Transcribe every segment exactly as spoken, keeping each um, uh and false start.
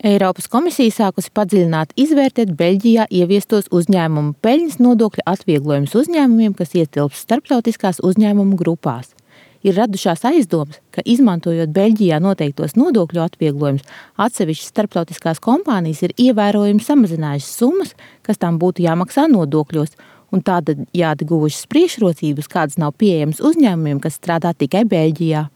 Eiropas komisija sākusi padziļināt izvērtēt Beļģijā ieviestos uzņēmumu peļņas nodokļa atvieglojumus uzņēmumiem, kas ietilpst starptautiskās uzņēmumu grupās. Ir radušās aizdomas, ka izmantojot Beļģijā noteiktos nodokļu atvieglojumus, atsevišķas starptautiskās kompānijas ir ievērojami samazinājušas summas, kas tām būtu jāmaksā nodokļos, un tādējādi guvušas priekšrocības, kādas nav pieejamas uzņēmumiem, kas strādā tikai Beļģijā.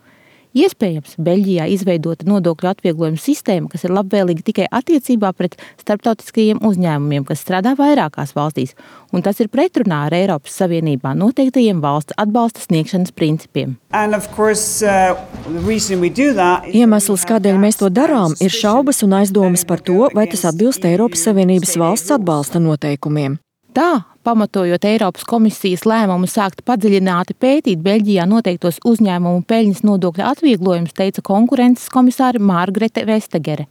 Iespējams, Beļģijā izveidota nodokļu atvieglojuma sistēma, kas ir labvēlīga tikai attiecībā pret starptautiskajiem uzņēmumiem, kas strādā vairākās valstīs, un tas ir pretrunā ar Eiropas Savienībā noteiktajiem valsts atbalsta sniegšanas principiem. Course, uh, is... Iemesls, kādēļ mēs to darām, ir šaubas un aizdomas par to, vai tas atbilst Eiropas Savienības valsts atbalsta noteikumiem. Tā, pamatojot Eiropas komisijas lēmumu sākt padziļināti pētīt Beļģijā noteiktos uzņēmumu peļņas nodokļa atvieglojumus, teica konkurences komisāre Margrethe Vestager.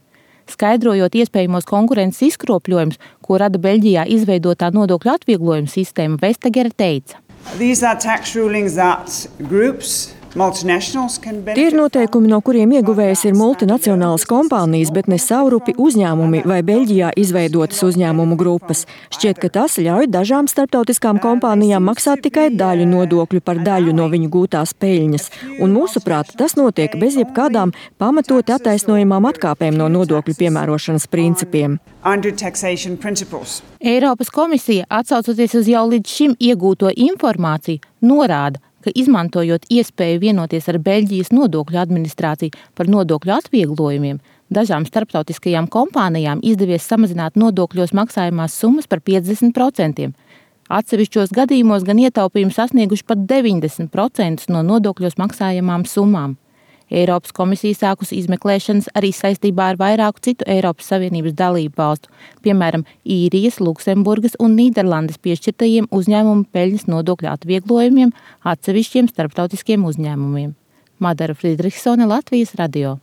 Skaidrojot iespējamos konkurences izkropļojumus, ko rada Beļģijā izveidotā nodokļu atvieglojuma sistēma, Vestager teica. These are tax rulings that groups Tie ir noteikumi, no kuriem ieguvējas ir multinacionālas kompānijas, bet ne savrupi uzņēmumi vai Beļģijā izveidotas uzņēmumu grupas. Šķiet, ka tas ļauj dažām starptautiskām kompānijām maksāt tikai daļu nodokļu par daļu no viņu gūtās peļņas. Un mūsuprāt, tas notiek bez jebkādām pamatoti attaisnojamām atkāpēm no nodokļu piemērošanas principiem. Eiropas komisija, atsaucoties uz jau līdz šim iegūto informāciju, norāda, ka izmantojot iespēju vienoties ar Beļģijas nodokļu administrāciju par nodokļu atvieglojumiem, dažām starptautiskajām kompānijām izdevies samazināt nodokļos maksājumās summas par piecdesmit procentiem. Atsevišķos gadījumos gan ietaupījumi sasnieguši pat deviņdesmit procentus no nodokļos maksājamām summām. Eiropas komisija sākusi izmeklēšanas arī saistībā ar vairāku citu Eiropas Savienības dalību valstu, piemēram, Īrijas, Luksemburgas un Nīderlandes piešķirtajiem uzņēmumu peļņas nodokļu atvieglojumiem atsevišķiem starptautiskiem uzņēmumiem. Madara Friedrichsone, Latvijas radio.